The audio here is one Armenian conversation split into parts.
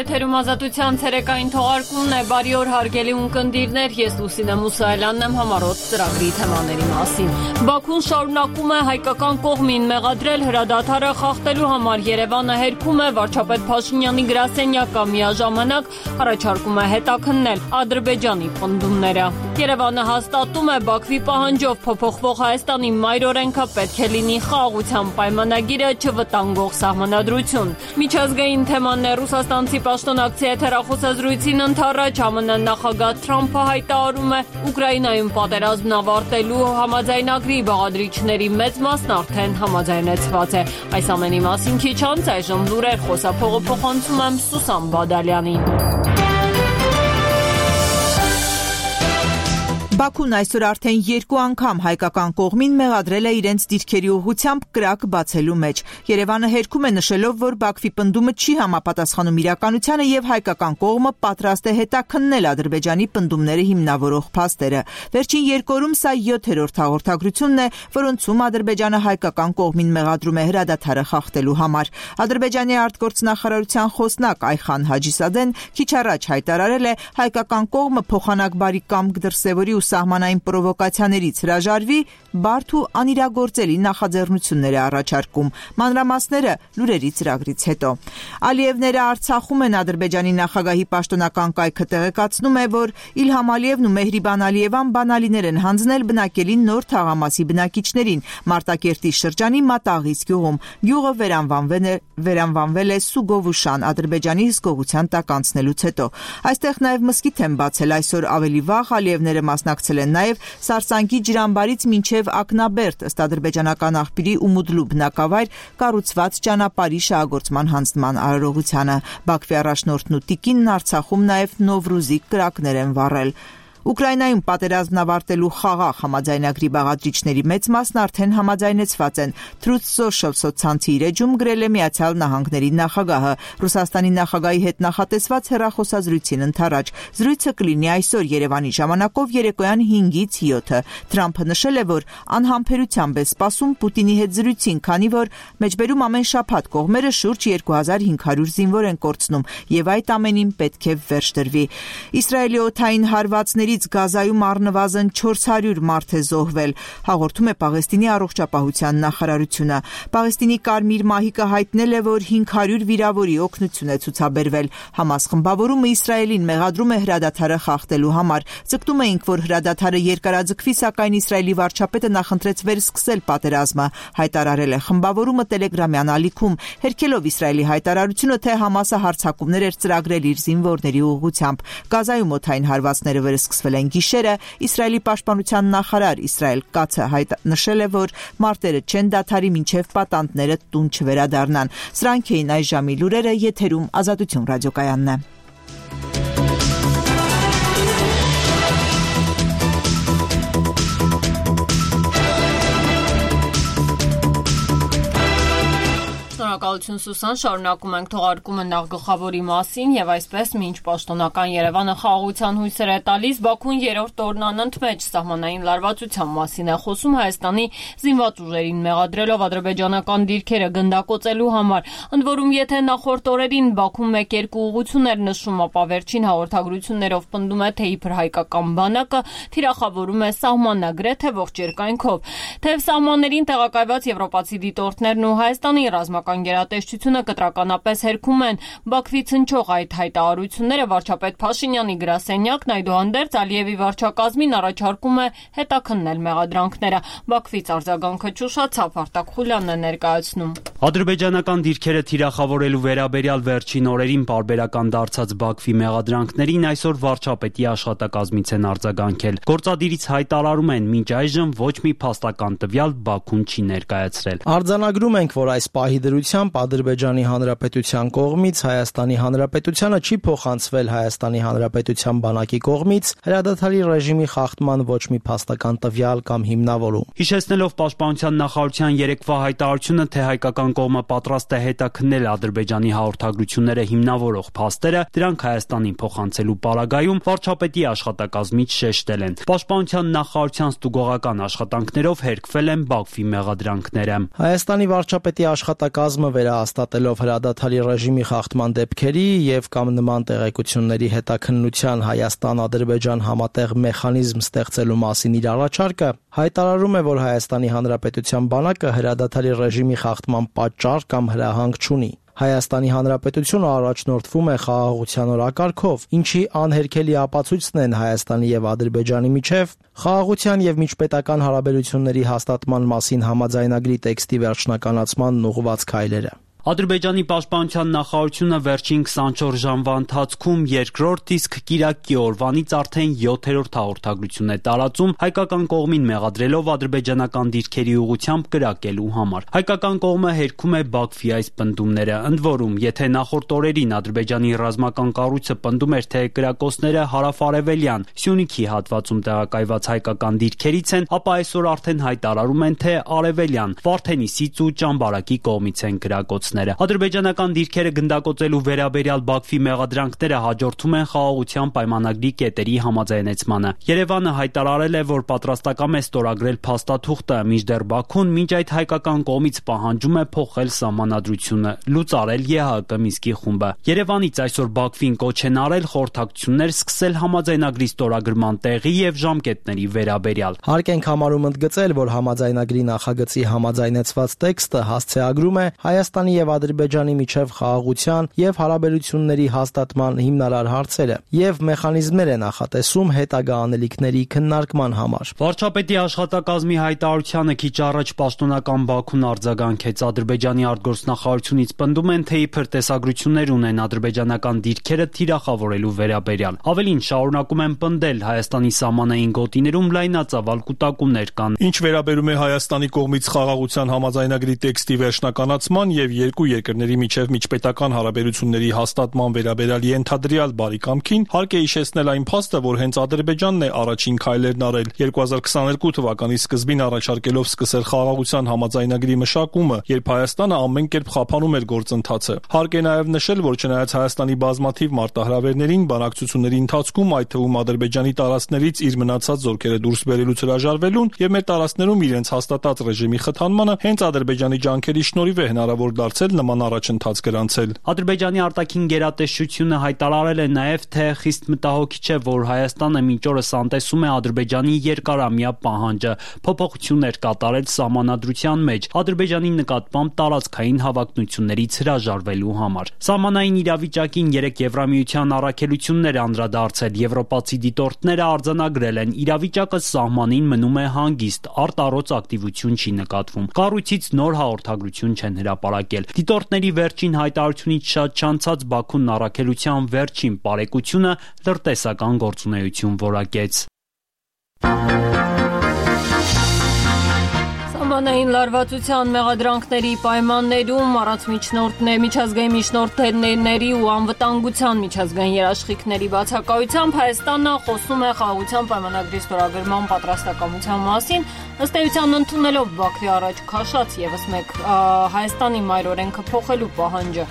Եթերում ազատության ցերեկային թողարկումն է, բարի օր հարգելի ունկնդիրներ, ես Լուսինե Մուսայելյանն եմ համառոտ ծրագրի թեմաների մասին։ Բաքուն շարունակում է հայկական կողմին մեղադրել հրադադարը խախտելու համար, Երևանը հերքում է վարչապետ Փաշինյանի գրասենյակը, միաժամանակ առաջարկում է հետաքննել Ադրբեջանի պնդումները։ Երևանը հաստատում է Բաքվի պահանջով փոփոխվող Հայաստանի մայրօրենքը պետք է լինի խաղաղության պայմանագիրը չվտանգող սահմանադրություն։ Միջազգային թեման է ռուսաստանցի պաշտոնակցի եթերախոսազրույցին ընդառաջ ԱՄՆ նախագահ Թրամփը հայտարարում է Ուկրաինայում պատերազմն ավարտելու համաձայնագրի բաղադրիչների մեծ մասն արդեն համաձայնեցված է։ Այս ամենի մասին քիչ անց այժմ լուրեր խոսափողը փոխանցում եմ Սուսան Բադալյանին։ Բաքուն այսօր արդեն 2 անգամ հայկական կողմին մեղադրել է իրենց դիրքերի ուղղությամբ կրակ բացելու մեջ։ Երևանը հերքում է նշելով, որ Բաքվի պնդումը չի համապատասխանում իրականությանը եւ հայկական կողմը պատրաստ է հետաքննել Ադրբեջանի պնդումները հիմնավորող փաստերը։ Վերջին 2 օրում սա 7-րդ հաղորդագրությունն է, որոնցում Ադրբեջանը հայկական կողմին մեղադրում է հրադադարը խախտելու համար։ Ադրբեջանի արտգործնախարարության խոսնակ Այխան Հաջիսադեն քիչ առաջ հայտարարել է հայկական կողմը փոխանակ բարի կամք դրսևորի սահմանային պրովոկացիաներից հրաժարվի, բարդ ու անիրագործելի նախաձեռնություններ է առաջարկում։ Մանրամասները լուրերի ծրագրից հետո։ Ալիևները Արցախում են Ադրբեջանի նախագահի պաշտոնական կայքը տեղեկացնում է, որ Իլհամ Ալիևն ու Մեհրիբան Ալիևան բանալիներ են հանձնել բնակելի նոր թաղամասի բնակիչներին Մարտակերտի շրջանի Մատաղիս գյուղում։ Գյուղը վերանվանվել է Սուգովուշան Ադրբեջանի հսկողության տակ անցնելուց հետո։ Այստեղ նաև մզկիթ են բացել այսօր ավելի վաղ Ալիևները մասնակցել են նաև Սարսանկի ջրամբարից մինչև Ակնաբերդ ըստ ադրբեջանական աղբյուրի Ումուդլու բնակավայր կառուցված ճանապարհի շահագործման հանձնման արարողությանը։ Բաքվի առաջնորդն ու տիկինն Արցախում նաև Նովրուզի կրակներ են վառել։ Ուկրաինայում պատերազմն ավարտելու խաղաղ համաձայնագրի բաղադրիչների մեծ մասն արդեն համաձայնեցված են։ Truth Social սոցցանցի իր էջում գրել է Միացյալ Նահանգների նախագահը։ Ռուսաստանի նախագահի հետ նախատեսված հեռախոսազրույցին ընդառաջ զրույցը կլինի այսօր Երևանի ժամանակով երեկոյան 5-ից 7-ը։ Թրամփը նշել է, որ անհամբերությամբ է սպասում Պուտինի հետ զրույցին, քանի որ մեջբերում ամեն շաբաթ կողմերը շուրջ 2500 զինվոր են կորցնում եւ այդ ամենին պետք է վերջ դրվի։ Իսրայելի օդային հարվածների Գազայում առնվազն 400 մարդ է զոհվել, հաղորդում է Պաղեստինի առողջապահության նախարարությունը։ Պաղեստինի Կարմիր մահիկը հայտնել է, որ 500 վիրավորի օգնություն է ցուցաբերվել։ Համաս խմբավորումը Իսրայելին մեղադրում է հրադադարը խախտելու համար։ Ձգտում էինք, որ հրադադարը երկարաձգվի, սակայն Իսրայելի վարչապետը նախընտրեց վերսկսել պատերազմը, հայտարարել է խմբավորումը տելեգրամյան ալիքում, հերքելով Իսրայելի հայտարարությունը, թե Համասը հարձակումներ էր ծրագրել իր զինվորների ուղղությամբ։ Գազայում օդային հարվածները վերսկսվել են գիշերը, Իսրայելի պաշտպանության նախարար Իսրայել Կացը նշել է, որ մարտերը չեն դադարի մինչև պատանդները տուն չվերադառնան։ Սրանք էին այս ժամի լուրերը, եթերում Ազատություն ռադիոկայանն է։ Շնորհակալություն Սուսան, շարունակում ենք թողարկումը նախ գլխավորի մասին եւ այսպես մինչ պաշտոնական Երևանը խաղաղության հույսեր է տալիս, Բաքուն 3-րդ օրն անընդմեջ սահմանային լարվածության մասին է խոսում Հայաստանի զինված ուժերին մեղադրելով ադրբեջանական դիրքերը գնդակոծելու համար։ Ընդ որում, եթե նախորդ օրերին Բաքուն 1-2 ուղղություններ նշում, ապա վերջին հաղորդագրություններով պնդում է, թե իբր հայկական բանակը թիրախավորում է սահմանը գրեթե ողջ երկայնքով։ Թեև սահմաններին տեղակայված եվրոպացի դիտորդներն ու Հայաստանի ռազմական գերատեսչությունը կտրականապես հերքում են Բաքվից հնչող այդ հայտարարությունները, վարչապետ Փաշինյանի գրասենյակն այդուհանդերձ Ալիևի վարչակազմին առաջարկում է հետաքննել մեղադրանքները։ Բաքվից արձագանքը չուշացավ, Արտակ Խուլյանն է ներկայացնում։ Ադրբեջանական դիրքերը թիրախավորելու վերաբերյալ վերջին օրերին պարբերական դարձած Բաքվի մեղադրանքներին այսօր վարչապետի աշխատակազմից են արձագանքել։ Գործադիրից հայտարարում են, մինչ այժմ ոչ մի փաստական տվյալ Բաքուն չի ներկայացրել։ Արձանագրում ենք, որ այս պահի դրությամբ Ադրբեջանի Հանրապետության կողմից Հայաստանի Հանրապետությանը չի փոխանցվել Հայաստանի Հանրապետության բանակի կողմից հրադադարի ռեժիմի խախտման ոչ մի փաստական տվյալ կամ հիմնավորում։ Հիշեցնելով Պաշտպանության նախարարության երեկվա հայտարարությունը, թե հայկական հայկական կողմը պատրաստ է հետաքննել Ադրբեջանի հաղորդագրությունները հիմնավորող փաստերը, դրանք Հայաստանին փոխանցելու պարագայում վարչապետի աշխատակազմից շեշտել են։ Պաշտպանության նախարարության ստուգողական աշխատանքներով հերկվել են Բաքվի մեղադրանքները։ Հայաստանի վարչապետի աշխատակազմը վերահաստատելով հրադադարի ռեժիմի խախտման դեպքերի եւ կամ նման տեղեկությունների հետաքննության Հայաստան-Ադրբեջան համատեղ մեխանիզմ ստեղծելու մասին իր առաջարկը հայտարարում է, որ Հայաստանի Հանրապետության բանակը հրադադարի ռեժիմի խախտման պատճառ կամ հրահանգ չունի։ Հայաստանի Հանրապետությունը առաջնորդվում է խաղաղության օրակարգով, ինչի անհերքելի ապացույցն են Հայաստանի եւ Ադրբեջանի միջև խաղաղության եւ միջպետական հարաբերությունների հաստատման մասին համաձայնագրի տեքստի վերջնականացմանն ուղղված քայլերը։ Ադրբեջանի պաշտպանության նախարարությունը վերջին 24 ժամվա ընթացքում երկրորդ, իսկ կիրակի օրվանից արդեն 7-րդ հաղորդագրություն է տարածում հայկական կողմին մեղադրելով ադրբեջանական դիրքերի ուղղությամբ կրակելու համար։ Հայկական կողմը հերքում է Բաքվի այս պնդումները, ընդ որում, եթե նախորդ օրերին Ադրբեջանի ռազմական կառույցը պնդում էր, թե կրակոցները հարավարևելյան Սյունիքի հատվածում տեղակայված հայկական դիրքերից են, ապա այսօր արդեն հայտարարում են, թե արևելյան Վարդենիսից ու Ճամբարակի կողմից են կրակոց։ Ադրբեջանական դիրքերը գնդակոծելու վերաբերյալ Բաքվի մեղադրանքները հաջորդում են խաղաղության պայմանագրի կետերի համաձայնեցմանը։ Երևանը հայտարարել է, որ պատրաստակամ է ստորագրել փաստաթուղթը, մինչդեռ Բաքուն մինչ այդ հայկական կողմից պահանջում է փոխել սահմանադրությունը, լուծարել ԵՀԿ Մինսկի խումբը։ Երևանից այսօր Բաքվին կոչ են արել խորհրդակցություններ սկսել համաձայնագրի ստորագրման տեղի եւ ժամկետների վերաբերյալ։ Հարկ ենք համարում ընդգծել, որ համաձայնագրի նախագծի համաձայնեցված տեքստը հասցեագրում է Հայաստանի եւ Ադրբեջանի միջև խաղաղության եւ հարաբերությունների հաստատման հիմնարար հարցերը եւ մեխանիզմներ է նախատեսում հետագա անելիքների քննարկման համար։ Վարչապետի աշխատակազմի հայտարարությանը քիչ առաջ պաշտոնական Բաքուն արձագանքեց։ Ադրբեջանի արտգործնախարարությունից պնդում են, թե իբր տեսագրություններ ունեն ադրբեջանական դիրքերը թիրախավորելու վերաբերյալ։ Ավելին շարունակում են պնդել Հայաստանի սահմանային գոտիներում լայնածավալ կուտակումներ կան։ Ինչ վերաբերում է Հայաստանի կողմից խաղաղության համաձայնագրի տեքստի վերջնականացման եւ երկու երկրների միջև միջպետական հարաբերությունների հաստատման վերաբերյալ ենթադրյալ բարի կամքին, հարկ է հիշեցնել այն փաստը, որ հենց Ադրբեջանն է առաջին քայլերն արել 2022 թվականի սկզբին առաջարկելով սկսել խաղաղության համաձայնագրի մշակումը, երբ Հայաստանը ամեն կերպ խափանում էր գործընթացը։ Հարկ է նաև նշել, որ չնայած Հայաստանի բազմաթիվ մարտահրավերներին, բանակցությունների ընթացքում, այդ թվում Ադրբեջանի տարածքներից իր մնացած զորքերը դուրս բերելուց հրաժարվելուն եւ մեր տարածքներում իրենց հաստատած ռեժիմի խթանմանը հենց Ադրբեջանի ջանքերի շնորհիվ է հնարավոր դարձել նման առաջընթաց գրանցել։ Ադրբեջանի արտաքին գերատեսչությունը հայտարարել է նաև, թե խիստ մտահոգիչ է, որ Հայաստանը մինչ օրս անտեսում է Ադրբեջանի երկարամյա պահանջը փոփոխություններ կատարել սահմանադրության մեջ Ադրբեջանի նկատմամբ տարածքային հավակնություններից հրաժարվելու համար։ Սահմանային իրավիճակին 3 Եվրամիության առաքելություններ անդրադարձել, եվրոպացի դիտորդները արձանագրել են, իրավիճակը սահմանին մնում է հանգիստ, արտառոց ակտիվություն չի նկատվում։ Կառույցից նոր հաղորդագրություն չեն հրապարակել։ Դիտորդների վերջին հայտարարությունից շատ չանցած Բաքուն առաքելության վերջին պարեկությունը լրտեսական գործունեություն որակեց։ Սահմանային լարվածության մեղադրանքների պայմաններում առանց միջազգային միջնորդների ու անվտանգության միջազգային երաշխիքների բացակայությամբ Հայաստանը խոսում է խաղաղության պայմանագրի ստորագրման պատրաստակամության մասին, ըստ էության ընդունելով Բաքվի առաջ քաշած եւս մեկ Հայաստանի մայր օրենքը փոխելու պահանջը։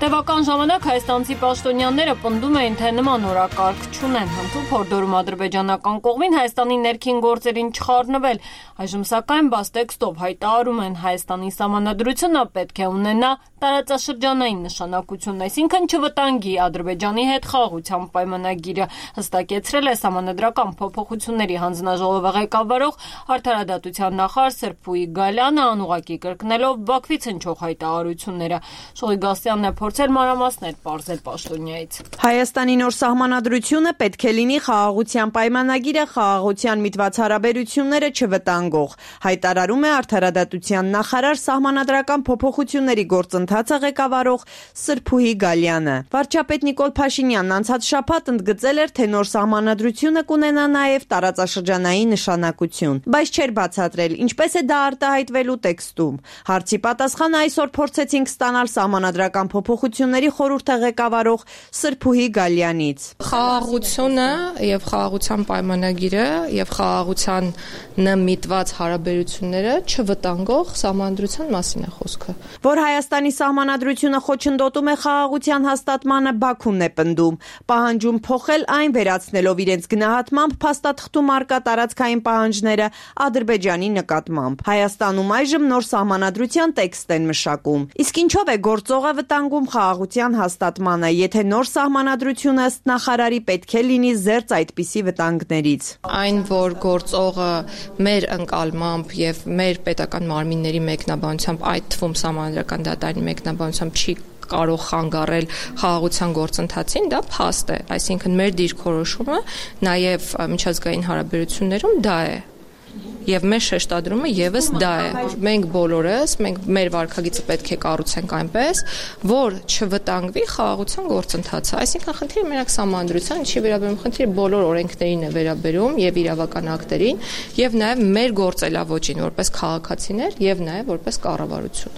Տևական ժամանակ հայաստանցի պաշտոնյաները պնդում էին, թե նման օրակարգ չունեն, հմտում փորդորում ադրբեջանական կողմին Հայաստանի ներքին գործերին չխառնվել։ Այժմ սակայն բաց տեքստով հայտարարում են Հայաստանի սահմանադրությունը պետք է ունենա տարածաշրջանային նշանակություն, այսինքն չվտանգի Ադրբեջանի հետ խաղաղության պայմանագիրը, հստակեցրել է սահմանադրական փոփոխությունների հանձնաժողովի ղեկավարող արդարադատության նախարար Սրփուի Գալյանը, անուղղակի կրկնելով Բաքվից հնչող հայտարարությունները։ Շողիգասյանն է փորձել մանրամասներ պարզել պաշտոնյայից։ Հայաստանի նոր սահմանադրությունը պետք է լինի խաղաղության պայմանագիրը խաղաղության միտված հարաբերությունները չվտանգող, հայտարարում է արդարադատության նախարար սահմանադրական փոփոխությունների գործընթացը ղեկավարող Սրփուհի Գալյանը։ Վարչապետ Նիկոլ Փաշինյանն անցած շաբաթ ընդգծել էր, թե նոր սահմանադրությունը կունենա նաև տարածաշրջանային նշանակություն, բայց չէր բացատրել ինչպես է դա արտահայտվելու տեքստում։ Հարցի պատասխանը այսօր փորձեցինք ստանալ սահմանադրական փոփոխությունների փոփոխությունների խորհուրդը ղեկավարող Սրփուհի Գալյանից։ Խաղաղությունը եւ խաղաղության պայմանագիրը եւ խաղաղությանը միտված հարաբերությունները չվտանգող սահմանադրության մասին է խոսքը։ Որ Հայաստանի սահմանադրությունը խոչընդոտում է խաղաղության հաստատմանը, Բաքուն է պնդում, պահանջում փոխել այն, վերացնելով իրենց գնահատմամբ փաստաթղթում առկա տարածքային պահանջները Ադրբեջանի նկատմամբ։ Հայաստանում այժմ նոր սահմանադրության տեքստ են մշակում։ Իսկ ինչով է գործողը վտանգում խաղաղության հաստատմանը, եթե նոր սահմանադրությունը ըստ նախարարի պետք է լինի զերծ այդպիսի վտանգներից։ Այն, որ գործողը մեր ընկալմամբ եւ մեր պետական մարմինների մեկնաբանությամբ, այդ թվում սահմանադրական դատարանի մեկնաբանությամբ չի կարող խանգարել խաղաղության գործընթացին, դա փաստ է, այսինքն մեր դիրքորոշումը նաև միջազգային հարաբերություններում դա է։ Եվ մեր շեշտադրումը եւս դա է։ Մենք բոլորս, մեր վարքագիծը պետք է կառուցենք այնպես, որ չվտանգվի խաղաղության գործընթացը։ Այսինքն խնդիրը մենակ սահմանադրության չի վերաբերում, խնդիրը բոլոր օրենքներին է վերաբերում եւ իրավական ակտերին, եւ նաեւ մեր գործելավոճին որպես քաղաքացիներ եւ նաեւ որպես կառավարություն։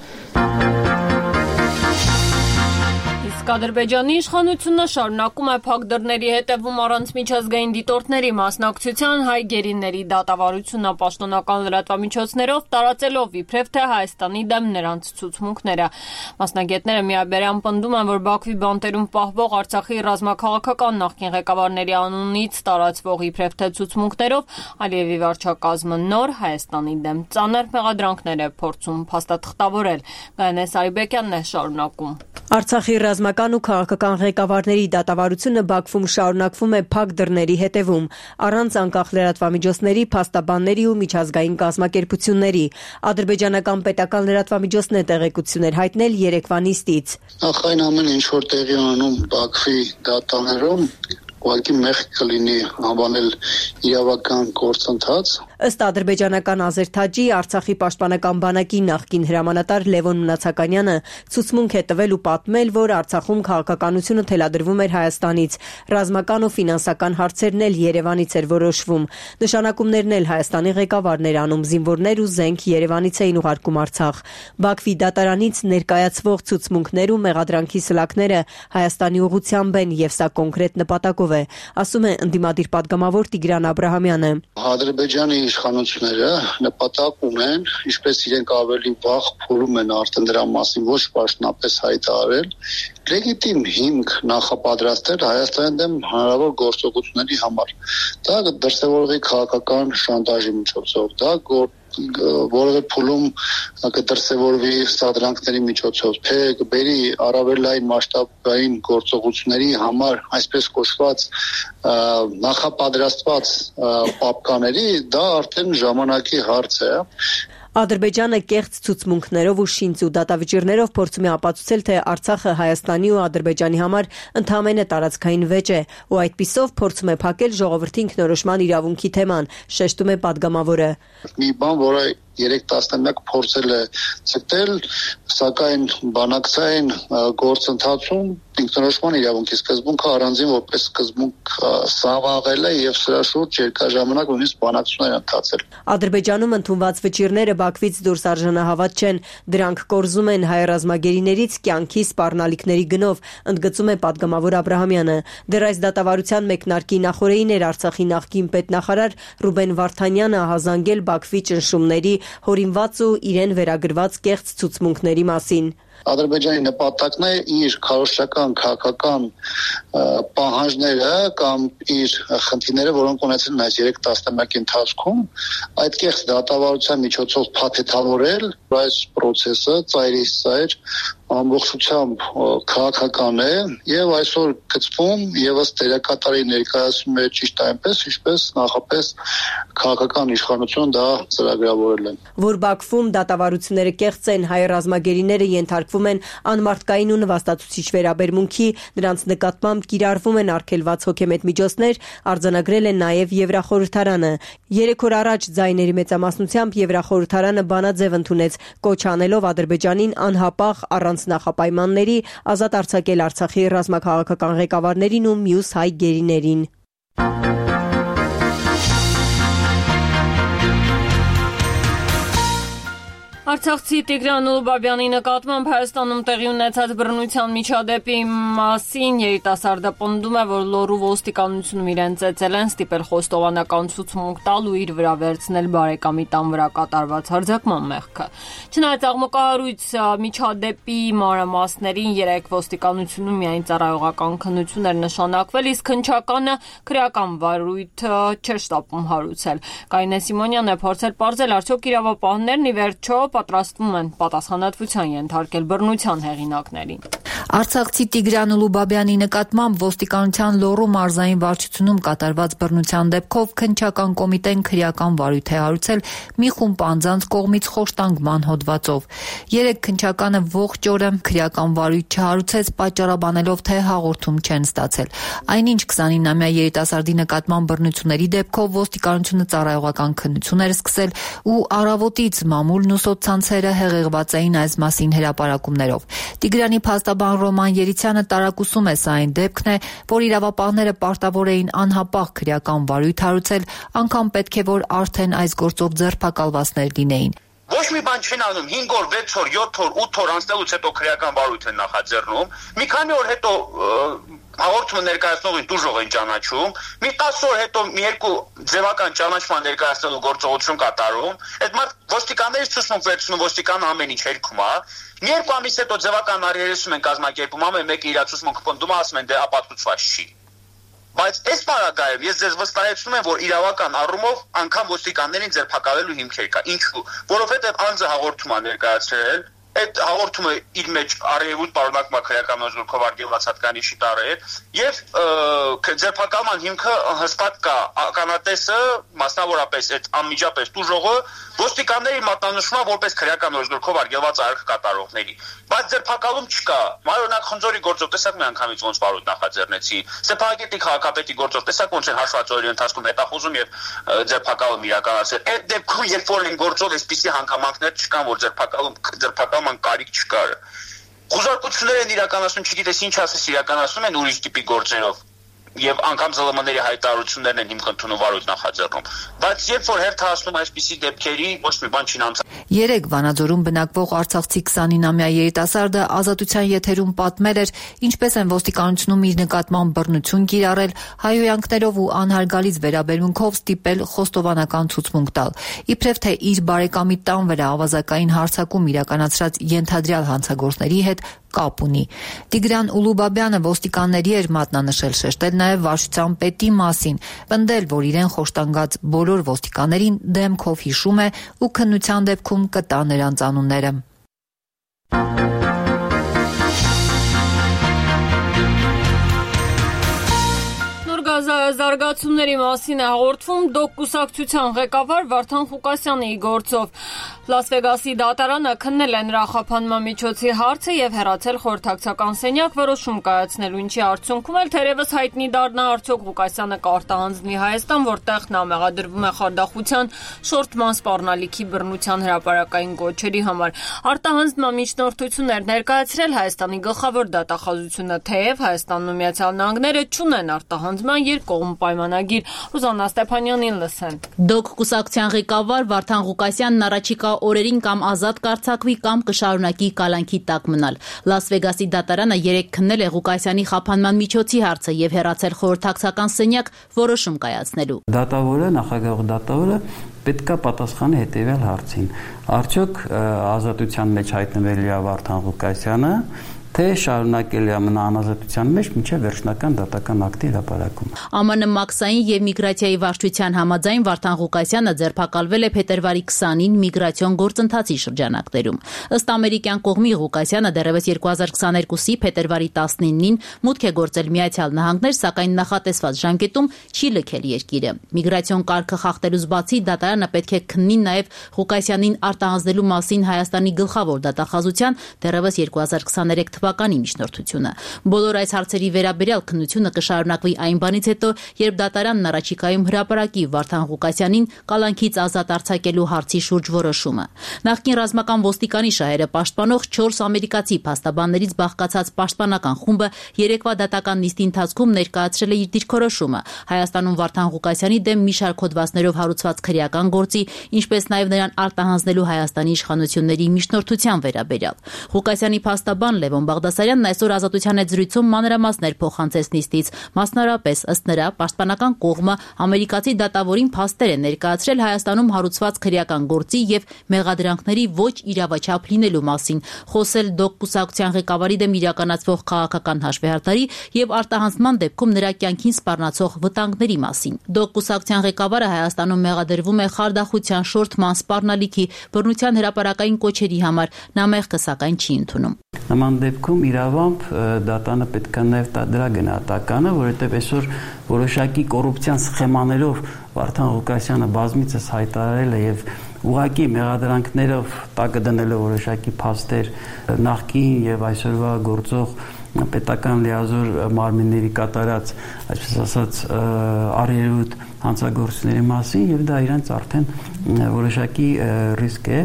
Ադրբեջանի իշխանությունը շարունակում է փակ դռների հետևում առանց միջազգային դիտորդների մասնակցության հայ գերիների դատավարությունը պաշտոնական լրատվամիջոցներով տարածելով իբրև թե Հայաստանի դեմ նրանց ցուցմունքները։ Մասնագետները միաբերան պնդում են, որ Բաքվի բանտերում պահվող Արցախի ռազմաքաղաքական նախկին ղեկավարների անունից տարածվող իբրև թե ցուցմունքներով Ալիևի վարչակազմը նոր Հայաստանի դեմ ծանր մեղադրանքներ է փորձում փաստաթղթավորել։ Գայանե Սարիբեկյանն է շարունակում։ Արցախի ռազմական ու քաղաքական ղեկավարների դատավարությունը Բաքվում շարունակվում է փակ դռների հետևում, առանց անկախ լրատվամիջոցների, փաստաբանների ու միջազգային կազմակերպությունների։ Ադրբեջանական պետական լրատվամիջոցն է տեղեկություններ հայտնել երեկվա նիստից։ Նախ այն ամեն ինչ որ տեղի ունենում Բաքվի դատարանում, ուղղակի մեղք կլինի անվանել իրավական գործընթաց։ Ըստ ադրբեջանական Ազերթաջի, Արցախի պաշտպանական բանակի նախկին հրամանատար Լևոն Մնացականյանը ցուցմունք է տվել ու պատմել, որ Արցախում քաղաքականությունը թելադրվում էր Հայաստանից, ռազմական ու ֆինանսական հարցերն էլ Երևանից էր որոշվում։ Նշանակումներն էլ Հայաստանի ղեկավարն էր անում, զինվորներ ու զենք Երևանից էին ուղարկում Արցախ։ Բաքվի դատարանից ներկայացվող ցուցմունքներ ու մեղադրանքի սլաքները Հայաստանի ուղղությամբ են եւ սա կոնկրետ նպատակով է, ասում է ընդդիմադիր պատգամավոր Տիգրան Աբրահամյանը։ Ադրբեջանի իշխանությունները նպատակ ունեն, ինչպես իրենք ավելի վաղ փորում են արդեն դրա մասին ոչ պաշտոնապես հայտարարել, լեգիտիմ հիմք նախապատրաստել Հայաստանի դեմ հնարավոր գործողությունների համար։ Դա դրսևորվի քաղաքական շանտաժի միջոցով, դա որևէ փուլում կդրսևորվի սադրանքների միջոցով, թե կբերի առավելային մասշտաբային գործողությունների համար այսպես կոչված նախապատրաստված պապկաների, դա արդեն ժամանակի հարց է։ Ադրբեջանը կեղծ ցուցմունքներով ու շինծ ու դատավճիռներով փորձում է ապացուցել, թե Արցախը Հայաստանի ու Ադրբեջանի համար ընդհանրապես տարածքային վեճ է, ու այդպիսով փորձում է փակել ժողովրդի ինքնորոշման իրավունքի թեման, շեշտում է պատգամավորը։ Մի բան, որը 3 տասնամյակ փորձել է ցտել, սակայն բանակցային գործընթացում ինքնորոշման իրավունքի սկզբունքը առանձին որպես սկզբունք սավաղել է եւ սրա շուրջ երկարաժամանակ նույնիսկ բանակցություններ ընթացել։ Ադրբեջանում ընդունված վճիռները Բաքվից դուրս արժանահավատ չեն, դրանք կորզում են հայ ռազմագերիներից կյանքի սպառնալիքների գնով, ընդգծում է պատգամավոր Աբրահամյանը։ Դեռ այս դատավարության մեկնարկի նախօրեին էր Արցախի նախկին պետնախարար Ռուբեն Վարդանյանը հազանգել Բաքվի ճնշումների, հորինված ու իրեն վերագրված կեղծ ցուցմունքների մասին։ Ադրբեջանի նպատակն է իր քարոզչական քաղաքական պահանջները կամ իր խնդիրները, որոնք ունեցել են այս 3 տասնամյակի ընթացքում, այդ կեղծ դատավարության միջոցով փաթեթավորել այս process-ը ծայրից ծայր ամբողջությամբ քաղաքական է եւ այսօր գծվում եւս դերակատարի ներկայացում է ճիշտ այնպես, ինչպես նախապես քաղաքական իշխանությունը դա ծրագրավորել է։ Որ Բաքվում դատավարությունները կեղծ են, հայ ռազմագերիները ենթարկվում են անմարդկային ու նվաստացուցիչ վերաբերմունքի, նրանց նկատմամբ կիրառվում են արգելված հոգեմետ միջոցներ, արձանագրել է նաեւ Եվրախորհրդարանը։ 3 օր առաջ ձայների մեծամասնությամբ Եվրախորհրդարանը բանաձև ընդունեց, կոչ անելով Ադրբեջանին անհապաղ առանց նախապայմանների ազատ արձակել Արցախի ռազմաքաղաքական ղեկավարներին ու մյուս հայ գերիներին։ Արցախցի Տիգրան Ուլուբաբյանի նկատմամբ Հայաստանում տեղի ունեցած բռնության միջադեպի մասին երիտասարդը պնդում է, որ Լոռու ոստիկանությունում իրեն ծեծել են, ստիպել խոստովանական ցուցմունք տալ ու իր վրա վերցնել բարեկամի տան վրա կատարված հարձակման մեղքը։ Չնայած աղմկահարույց միջադեպի մանրամասներին երեք ոստիկանությունում միայն ծառայողական քննություն էր նշանակվել, իսկ հնչականը քրեական վարույթ չէր շտապում հարուցել։ Կարինե Սիմոնյանն է փորձել պարզել, արդյոք իրավապահներն ի վերջո պատրաստվում են պատասխանատվության ենթարկել բռնության հեղինակներին։ Արցախցի Տիգրան Ուլուբաբյանի նկատմամբ ոստիկանության Լոռու մարզային վարչությունում կատարված բռնության դեպքով քննչական կոմիտեն քրեական վարույթ է հարուցել մի խումբ անձանց կողմից խոշտանգման հոդվածով։ Երեք քննչականը ողջ օրը քրեական վարույթ չհարուցեց, պատճառաբանելով, թե հաղորդում չեն ստացել։ Այնինչ 29-ամյա երիտասարդի նկատմամբ բռնությունների դեպքով ոստիկանությունը ծառայողական քննություն էր սկսել ու առավոտից մամուլն ու սոցցանցերը հեղեղված էին այս մասին հրապարակումներով։ Տիգրանի փաստաբան Ռոման Երիցյանը տարակուսում է, սա այն դեպքն է, որ իրավապահները պարտավոր էին անհապաղ քրեական վարույթ հարուցել, անգամ պետք է որ արդեն այս գործով ձերբակալվածներ լինեին։ Ոչ մի բան չեն անում, 5 օր, 6 օր, 7 օր, 8 օր անցնելուց հետո քրեական վարույթ են նախաձեռնում։ Մի քանի օր հետո հաղորդումը ներկայացնողին դուժող են ճանաչում, մի 10 օր հետո մի երկու ձևական ճանաչման ներկայացնելու գործողություն կատարում, այդ մարդ ոստիկաններից ցուցմունք վերցնում, ոստիկանը ամեն ինչ հերքում է, մի երկու ամիս հետո ձևական առերեսում են կազմակերպում, ամեն մեկը իր ցուցմունքը պնդում, ասում են դե ապացուցված չի։ Բայց այս պարագայում ես ձեզ վստահեցնում եմ, որ իրավական առումով անգամ ոստիկաններին ձերբակալելու հիմքեր կա։ Ինչու՞։ Որովհետև անձը հաղորդում է ներկայացրել, այդ հաղորդումը իր մեջ արևոտ պարունակում է քրեական օրենսգրքով արգելված հատկանիշի տարեր եւ ձերբակալման հիմքը հստակ կա ականատեսը, մասնավորապես այդ անմիջապես տուժողը ոստիկանների մատնանշումա որպես քրեական օրենսգրքով արգելված արարք կատարողների, բայց ձերբակալում չկա։ Օրինակ Խնձորի գործով տեսակ մի անգամից ոնց վարույթ նախաձեռնեցի, Ստեփանակերտի քաղաքապետի գործով տեսակ ոնց են հաշված օրերի ընթացքում հետախուզում եւ ձերբակալում իրականացրել։ Այդ դեպքում երբ որ են գործով այսպիսի հանգամանքներ չկան, որ ձերբակալման կարիք չկար։ Խոզարկություններ են իրականացնում, չգիտես ինչ ասես, իրականացնում են ուրիշ տիպի գործերով եւ անգամ ԶԼՄ-ների հայտարարություններն են հիմք ընդունում վարույթ նախաձեռնում։ Բայց երբ որ հերթ հասնում այսպիսի դեպքերի, ոչ մի բան չի անցնում։ Երեք Վանաձորում բնակվող արցախցի 29-ամյա երիտասարդը ազատության եթերում պատմել էր, ինչպես են ոստիկանությունում իր նկատմամբ բռնություն կիրառել, հայհոյանքներով ու անհարգալից վերաբերմունքով ստիպել խոստովանական ցուցմունք տալ։ Իբրև թե իր բարեկամի տան վրա ավազակային հարձակում իրականացրած ենթադրյալ հանցագործների հետ կապ ունի։ Տիգրան Ուլուբաբյանը ոստիկանների էր մատնանշել, շեշտել նաև վարչության պետի մասին, պնդել, որ իրեն խոշտանգած բոլոր ոստիկաններին դեմքով հիշում է ու քննության դեպքում կտա նրանց անունները։ Զարգացումների մասին է հաղորդվում ԴՕԿ կուսակցության ղեկավար Վարդան Ղուկասյանի գործով։ Լաս Վեգասի դատարանը քննել է նրա խափանման միջոցի հարցը եւ հեռացել խորհրդակցական սենյակ որոշում կայացնելու, ինչի արդյունքում էլ թերևս հայտնի դառնա արդյոք Ղուկասյանը կարտահանձնվի Հայաստան, որտեղ նա մեղադրվում է խարդախության, շորթման սպառնալիքի բռնության հրապարակային գոչերի համար։ Արտահանձնման միջնորդություններ ներկայացրել Հայաստանի գլխավոր դատախազությունը, թեև Հայաստանն ու Միացյալ Նահանգները չունեն արտահանձնման երկկողմ պայմանագիր։ Ռուզաննա Ստեփանյանին լսենք։ ԴՕԿ կուսակցության ղեկավար Վարդան Ղուկասյանն առաջիկա օրերին կամ ազատ կարձակվի կամ կշարունակի կալանքի տակ մնալ։ Լաս Վեգասի դատարանը երեկ քննել է Ղուկասյանի խափանման միջոցի հարցը եւ հեռացել խորհրդակցական սենյակ որոշում կայացնելու։ Նախագահ դատավորը պետք է պատասխանի հետեւյալ հարցին. արդյոք ազատության մեջ հայտնվելի է Վարդան Ղուկասյանը, թե շարունակելի է մնա անազատության մեջ մինչև վերջնական դատական ակտի հրապարակում։ ԱՄՆ մաքսային եւ միգրացիայի վարչության համաձայն Վարդան Ղուկասյանը ձերբակալվել է փետրվարի 20-ին միգրացիոն գործընթացի շրջանակներում։ Ըստ ամերիկյան կողմի Ղուկասյանը դեռևս 2022-ի փետրվարի 19-ին մուտք է գործել Միացյալ Նահանգներ, սակայն նախատեսված ժամկետում չի լքել երկիրը։ Միգրացիոն կարգը խախտելուց բացի դատարանը պետք է քննի նաեւ Ղուկասյանին արտահանձնելու մասին Հայաստանի գլխավոր դատախազության դեռևս 2023 թվականի միջնորդությունը։ Բոլոր այս հարցերի վերաբերյալ քննությունը կշարունակվի այն բանից հետո, երբ դատարանն առաջիկայում հրապարակի Վարդան Ղուկասյանին կալանքից ազատ արձակելու հարցի շուրջ որոշումը։ Նախկին ռազմական ոստիկանի շահերը պաշտպանող 4 ամերիկացի փաստաբաններից բաղկացած պաշտպանական խումբը երեկվա դատական նիստի ընթացքում ներկայացրել է իր դիրքորոշումը Հայաստանում Վարդան Ղուկասյանի դեմ մի շարք հոդվածներով հարուցված քրեական գործի, ինչպես նաև նրան արտահանձնելու Հայաստանի իշխանությունների միջնորդության վերաբերյալ։ Ղուկասյանի փաստաբան Լևոն Բաղդասարյանն այսօր Ազատության հետ զրույցում մանրամասներ փոխանցեց նիստից, մասնարարպես ըստ նրա պաշտպանական կողմը ամերիկացի դատավորին փաստեր է ներկայացրել Հայաստանում հարուցված քրեական գործի եւ մեղադրանքների ոչ իրավաչափ լինելու մասին, խոսել ԴՕԿ կուսակցության ղեկավարի դեմ իրականացվող քաղաքական հաշվեհարդարի եւ արտահանձնման դեպքում նրա կյանքին սպառնացող վտանգների մասին։ ԴՕԿ կուսակցության ղեկավարը Հայաստանում մեղադրվում է խարդախության, շորթման, սպառնալիքի, բռնության հրապարակային կոչերի համար, նա մեղքը սակայն չի ընդունում։ Նման դեպքում իրավամբ դատանը պետք է նաև տա դրա գնահատականը, որովհետև այսօր որոշակի կոռուպցիան սխեմաներով Վարդան Ղուկասյանը բազմիցս հայտարարել է եւ ուղղակի մեղադրանքներով տակը դնել է որոշակի փաստեր նախկին եւ այսօրվա գործող պետական լիազոր մարմինների կատարած, այսպես ասած, արերուտ հանցագործությունների մասին եւ դա իրենց արդեն որոշակի ռիսկ է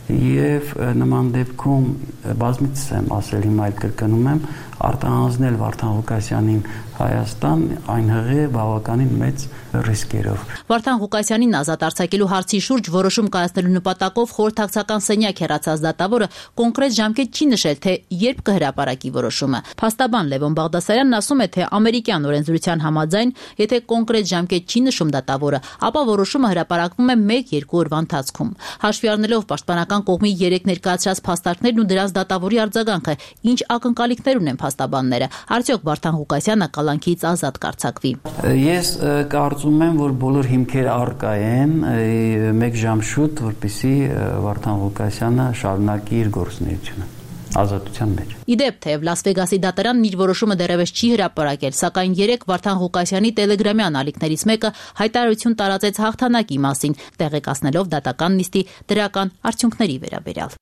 եւ նման դեպքում բազմիցս եմ ասել, հիմա այլ կրկնում եմ, արտահանձնել Վարդան Ղուկասյանին Հայաստան այն հղի բավականին մեծ ռիսկերով։ Վարդան Ղուկասյանին ազատ արձակելու հարցի շուրջ որոշում կայացնելու նպատակով խորհրդակցական սենյակ հեռացած դատավորը կոնկրետ ժամկետ չի նշել, թե երբ կհրապարակի որոշումը։ Փաստաբան Լևոն Բաղդասարյանն ասում է, թե ամերիկյան օրենսդրության համաձայն, եթե կոնկրետ ժամկետ չի նշում դատավորը, ապա որոշումը հրապարակվում է 1-2 օրվա ընթացքում։ Հաշվի առնելով պաշտպանական կողմի 3 ներկայացրած փաստարկներն ու դրանց դատավորի արձագանքը, ինչ ակնկալիքներ ունեն փաստաբանները, արդյոք Վարդան Ղուկասյանը կալանքից ազատ կարձակվի։ Ես կարծում եմ, որ բոլոր հիմքերը առկա են մեկ ժամ շուտ, որպեսզի Վարդան Ղուկասյանը շարունակի իր գործունեությունը ազատության մեջ։ Իդեպ, թեև Լաս Վեգասի դատարանն իր որոշումը դեռևս չի հրապարակել, սակայն երեք Վարդան Ղուկասյանի տելեգրամյան ալիքներից մեկը հայտարարություն տարածեց հաղթանակի մասին, տեղեկացնելով դատական նիստի դրական արդյունքների վերաբերյալ։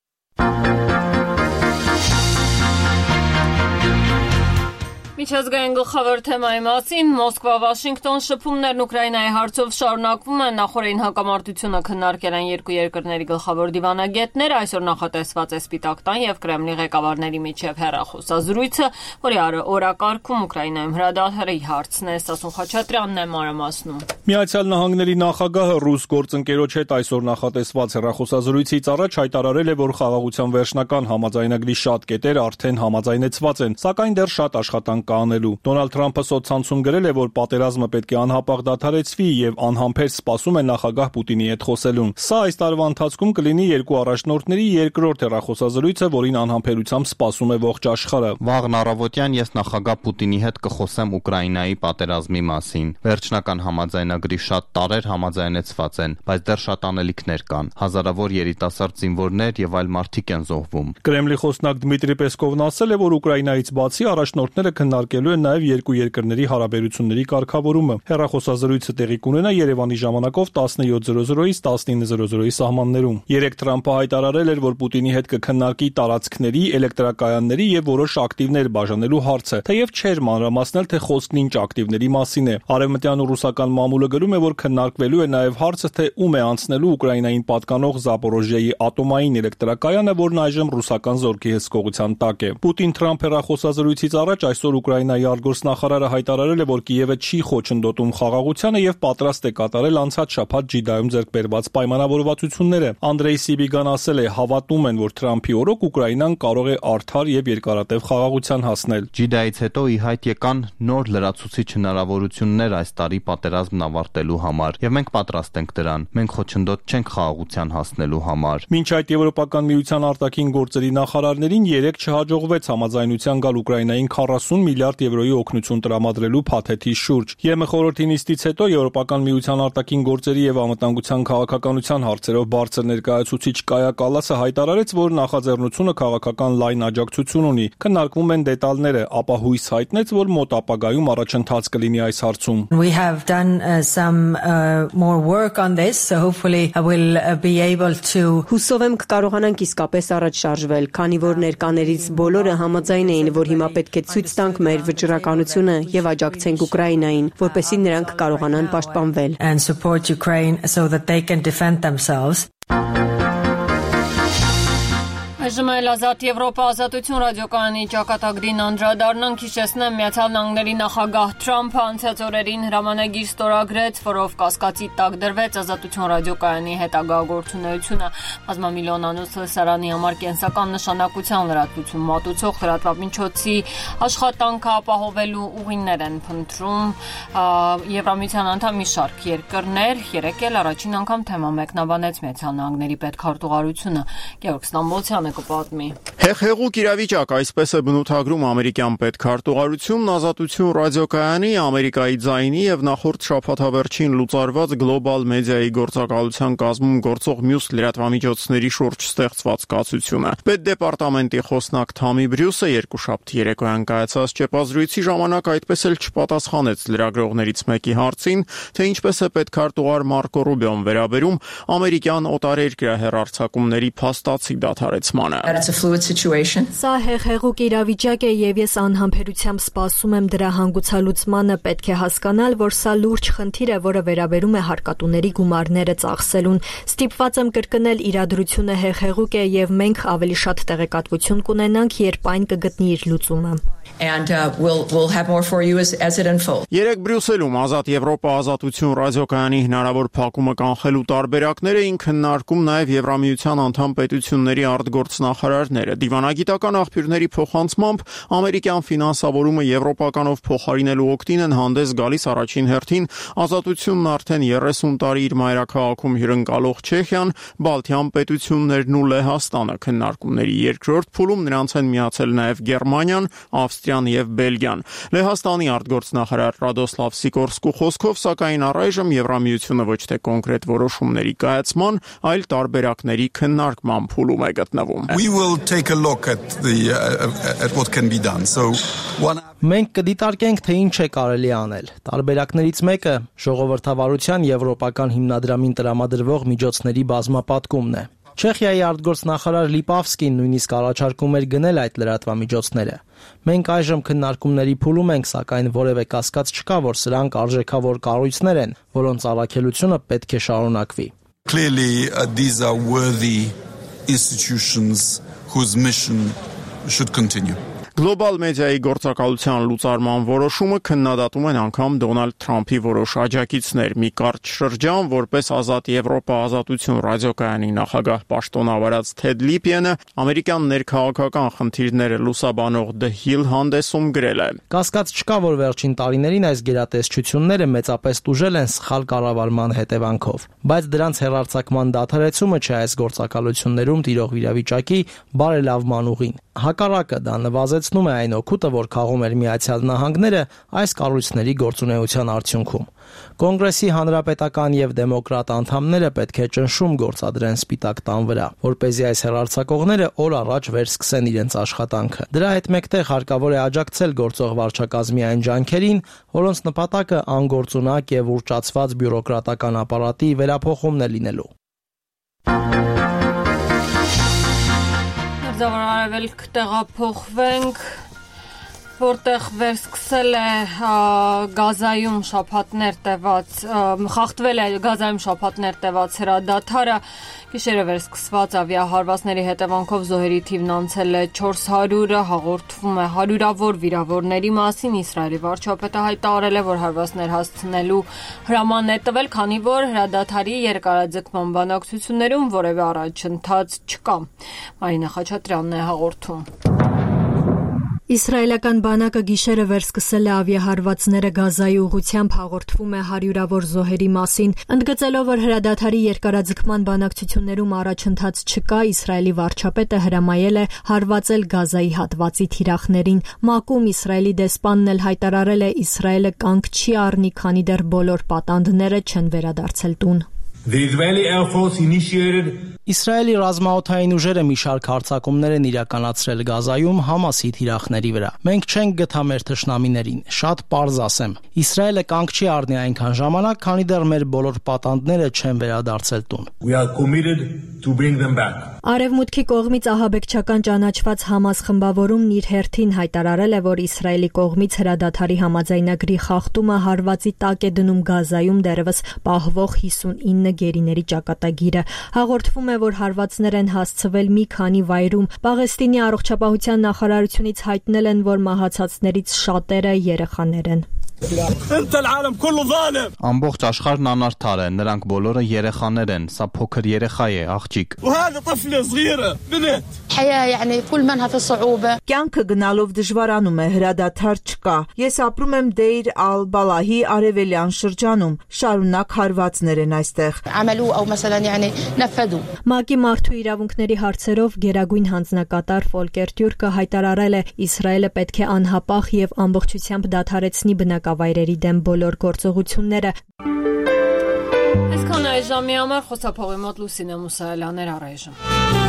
Միջազգային գլխավոր թեմայի մասին Մոսկվա-Վաշինգտոն շփումներն Ուկրաինայի հարցով շարունակվում են, նախորդին հակամարտությունը քննարկել են երկու երկրների գլխավոր դիվանագետները, այսօր նախատեսված է Սպիտակ տան եւ Կրեմլի ղեկավարների միջև հեռախոսազրույցը, որի օրակարգում Ուկրաինայում հրադադարի հարցն է, Սասուն Խաչատրյանն է մանրամասնում։ Միացյալ Նահանգների նախագահը ռուս գործընկերոջ հետ այսօր նախատեսված հեռախոսազրույցից առաջ հայտարարել է, որ խաղաղության վերջնական համաձայնագրի շատ կետեր արդեն համաձայնեցված են, սակայն դեռ շատ աշխատանք կանելու։ Դոնալդ Թրամփը սոցցանցում գրել է, որ պատերազմը պետք է անհապաղ դադարեցվի եւ անհամբեր սպասում է նախագահ Պուտինի հետ խոսելուն։ Սա այս տարվա ընթացքում կլինի երկու առաջնորդների երկրորդ հեռախոսազրույցը, որին անհամբերությամբ սպասում է ողջ աշխարհը։ Վաղն առավոտյան ես նախագահ Պուտինի հետ կխոսեմ Ուկրաինայի պատերազմի մասին։ Վերջնական համաձայնագրի շատ տարեր համաձայնեցված են, բայց դեռ շատ անելիքներ կան։ Հազարավոր երիտասարդ զինվորներ եւ այլ մարդիկ են զոհվում։ Կրեմլի խոսնակ Դմիտրի Պեսկովն ասել է, որ Ուկրաինայից բացի առաջնորդները քննարկելու են նաև երկու երկրների հարաբերությունների կարգավորումը։ Հեռախոսազրույցը տեղի կունենա Երևանի ժամանակով 17:00-ից 19:00-ի սահմաններում։ Երեկ Թրամփը հայտարարել էր, որ Պուտինի հետ կքննարկի տարածքների, էլեկտրակայանների եւ որոշ ակտիվներ բաժանելու հարցը, թեև չէր մանրամասնել, թե խոսքն ինչ ակտիվների մասին է։ Արևմտյան ու ռուսական մամուլը գրում է, որ քննարկվելու է նաև հարցը, թե ում է անցնելու Ուկրաինային պատկանող Զապորոժիայի ատոմային էլեկտրակայանը, որն այժմ ռուսական զորքի հսկողության տակ է։ Պուտին-Թրամփ հեռախոսազրույցից առաջ այսօր Ուկրաինայի արտգործնախարարը հայտարարել է, որ Կիևը չի խոչընդոտում խաղաղությանը եւ պատրաստ է կատարել անցած շաբաթ Ջիդայում ձեռք բերված պայմանավորվածությունները։ Անդրեյ Սիբիգան ասել է, հավատում են, որ Թրամփի օրոք Ուկրաինան կարող է արդար եւ երկարատև խաղաղության հասնել։ Ջիդայից հետո ի հայտ եկան նոր լրացուցիչ հնարավորություններ այս տարի պատերազմն ավարտելու համար եւ մենք պատրաստ ենք դրան։ Մենք խոչընդոտ չենք խաղաղության հասնելու համար։ Մինչ այդ Եվրոպական միության արտաքին գործերի նախարարներին երեք չհաջողվեց համաձայնության գալ Ուկրաինային 40 միլիարդ միլիարդ եվրոյի օգնություն տրամադրելու փաթեթի շուրջ։ ԵՄ խորհրդի նիստից հետո Եվրոպական միության արտաքին գործերի եւ անվտանգության քաղաքականության հարցերով բարձր ներկայացուցիչ Կայա Կալասը հայտարարեց, որ նախաձեռնությունը քաղաքական լայն աջակցություն ունի։ Քննարկվում են դետալները, ապա հույս հայտնեց, որ մոտ ապագայում առաջընթաց կլինի այս հարցում։ We have done some more work on this, so hopefully I will be able to. Հուսով եմ կկարողանանք իսկապես առաջ շարժվել, քանի որ ներկաներից բոլորը համաձայն էին, որ հիմա պետք է ցույց տանք մեր վճռականությունը եւ աջակցենք Ուկրաինային, որպեսզի նրանք կարողանան պաշտպանվել. And support Ukraine so that they can defend themselves. Այժմ էլ Ազատ Եվրոպա ազատություն ռադիոկայանի ճակատագրին անդրադառնանք, հիշեցնեմ, Միացյալ Նահանգների նախագահ Թրամփը անցած օրերին հրամանագիր ստորագրեց, որով կասկածի տակ դրվեց ազատություն ռադիոկայանի հետագա գործունեությունը։ Բազմամիլիոնանոց լսարանի համար կենսական նշանակության լրատվություն մատուցող լրատվամիջոցի աշխատանքը ապահովելու ուղիներ են փնտրում Եվրամիության անդամ մի շարք երկրներ, երեկ էլ առաջին անգամ թեմա մեկնաբանեց Միացյալ Նահանգների պետքարտուղարությունը։ Գեորգ Ստամբոլցյանը կպատմի։ Հեղեղուկ իրավիճակ, այսպես է բնութագրում ամերիկյան պետքարտուղարությունն ազատություն ռադիոկայանի, Ամերիկայի ձայնի եւ նախորդ շաբաթավերջին լուծարված գլոբալ մեդիայի գործակալության կազմում գործող մյուս լրատվամիջոցների շուրջ ստեղծված կացությունը։ Պետդեպարտամենտի խոսնակ Թամի Բրյուսը երկուշաբթի երեկոյան կայացած ճեպազրույցի ժամանակ այդպես էլ չպատասխանեց լրագրողներից մեկի հարցին, թե ինչպես է պետքարտուղար Մարկո Ռուբիոն վերաբերում ամերիկյան օտարերկրյա հեռարձակումների փաստացի դադարեցմանը։ Սա հեղեղուկ իրավիճակ է եւ ես անհամբերությամբ սպասում եմ դրա հանգուցալուծմանը, պետք է հասկանալ, որ սա լուրջ խնդիր է, որը վերաբերում է հարկատուների գումարները ծախսելուն։ Ստիպված եմ կրկնել, իրադրությունը հեղեղուկ է եւ մենք ավելի շատ տեղեկատվություն կունենանք, երբ այն կգտնի իր լուծումը։ And we'll have more for you as it unfolds. Երեք Բրյուսելում Ազատ Եվրոպա ազատություն ռադիոկայանի հնարավոր փակումը կանխելու տարբերակները քննարկում նաև Եվրամիության անդամ պետությունների արտգործնախարարները։ Դիվանագիտական աղբյուրների փոխանցմամբ ամերիկյան ֆինանսավորումը եվրոպականով փոխարինելու օգտին են հանդես գալիս առաջին հերթին ազատությունն արդեն 30 տարի իր մայրաքաղաքում հյուրընկալող Չեխիան, Բալթյան պետություններն ու Լեհաստանը։ Քննարկումների երկրորդ փուլում նրանց են միացել նաև Գերմանիան, Ավստրիան եւ Բելգիան։ Լեհաստանի արտգործնախարար Ռադոսլավ Սիկորսկու խոսքով, սակայն առայժմ Եվրամիությունը ոչ թե կոնկրետ որոշումների կայացման, այլ տարբերակների քննարկման փուլում է գտնվում։ We will take a look at what can be done. Մենք կդիտարկենք, թե ինչ է կարելի անել։ Տարբերակներից մեկը ժողովրդավարության եվրոպական հիմնադրամին տրամադրվող միջոցների բազմապատկումն է։ Չեխիայի արտգործնախարար Լիպավսկին նույնիսկ առաջարկում էր գնել այդ լրատվամիջոցները։ Մենք այժմ քննարկումների փուլում ենք, սակայն որևէ կասկած չկա, որ սրանք արժեքավոր կառույցներ են, որոնց առաքելությունը պետք է շարունակվի։ Clearly, these are worthy institutions whose mission should continue. Գլոբալ մեդիայի գործակալության լուծարման որոշումը քննադատում են անգամ Դոնալդ Թրամփի որոշ աջակիցներ։ Մի կարճ շրջան, որպես Ազատ Եվրոպա ազատություն ռադիոկայանի նախագահ պաշտոնավարած Թեդ Լիպիենը ամերիկյան ներքաղաքական խնդիրները լուսաբանող The Hill հանդեսում գրել է. Կասկած չկա, որ վերջին տարիներին այս գերատեսչությունները մեծապես տուժել են սխալ կառավարման հետևանքով, բայց դրանց հեռարձակման դադարեցումը չէ այս գործակալություններում տիրող իրավիճակի բարելավման ուղին։ Հակառակը դա նվազեցնում է այն օգուտը, որ քաղում էր Միացյալ Նահանգները այս կառույցների գործունեության արդյունքում։ Կոնգրեսի հանրապետական եւ դեմոկրատ անդամները պետք է ճնշում գործադրեն Սպիտակ տան վրա, որպեսզի այս հեռարձակողները օր առաջ վերսկսեն իրենց աշխատանքը։ Դրա հետ մեկտեղ հարկավոր է աջակցել գործող վարչակազմի այն ջանքերին, որոնց նպատակը անգործունակ եւ ուռճացված բյուրոկրատական ապարատի վերափոխումն է լինելու։ Արևելք տեղափոխվենք, որտեղ վերսկսել է Գազայում շաբաթներ տևած, խախտվել է Գազայում շաբաթներ տևած հրադադարը, գիշերը վերսկսված ավիահարվածների հետևանքով զոհերի թիվն անցել է 400-ը, հաղորդվում է հարյուրավոր վիրավորների մասին։ Իսրայելի վարչապետը հայտարարել է, որ հարվածներ հասցնելու հրաման է տվել, քանի որ հրադադարի երկարաձգման բանակցություններում որևէ առաջընթաց չկա։ Մարինա Խաչատրյանն է հաղորդում։ Իսրայելական բանակը գիշերը վերսկսել է ավիահարվածները Գազայի ուղղությամբ, հաղորդվում է հարյուրավոր զոհերի մասին։ Ընդգծելով, որ հրադադարի երկարաձգման բանակցություններում առաջընթաց չկա, Իսրայելի վարչապետը հրամայել է հարվածել Գազայի հատվածի թիրախներին։ ՄԱԿ-ում Իսրայելի դեսպանն էլ հայտարարել է, Իսրայելը կանգ չի առնի, քանի դեռ բոլոր պատանդները չեն վերադարձել տուն։ Իսրայելի ռազմաօդային ուժերը մի շարք հարձակումներ են իրականացրել Գազայում Համասի թիրախների վրա։ Մենք չենք գթա մեր թշնամիներին, շատ պարզ ասեմ։ Իսրայելը կանգ չի առնի այնքան ժամանակ, քանի դեռ մեր բոլոր պատանդները չեն վերադարձել տուն։ Արևմուտքի կողմից ահաբեկչական ճանաչված Համաս խմբավորումն իր հերթին հայտարարել է, որ Իսրայելի կողմից հրադադարի համաձայնագրի խախտումը հարվածի տակ է դնում Գազայում դեռևս պահվող 59 գերիների ճակատագիրը։ Հաղորդվում է, որ հարվածներ են հասցվել մի քանի վայրում։ Պաղեստինի առողջապահության նախարարությունից հայտնել են, որ մահացածներից շատերը երեխաներ են։ Ամբողջ աշխարհն անարդար է, նրանք բոլորը երեխաներ են, սա փոքր երեխա է, աղջիկ։ Կյանքը գնալով դժվարանում է, հրադադար չկա։ Ես ապրում եմ Դեյր ալ-Բալահի արևելյան շրջանում, շարունակ հարվածներ են այստեղ։ ՄԱԿ-ի մարդու իրավունքների հարցերով գերագույն հանձնակատար Ֆոլկեր Տյուրկը հայտարարել է, Իսրայելը պետք է անհապաղ եւ ամբողջությամբ դադարեցնի բնակավայրերի դեմ բոլոր գործողությունները։ Այսքան այժմի համար խոսափողի մոտ Լուսինե Մուսայելյաներ առայժմ։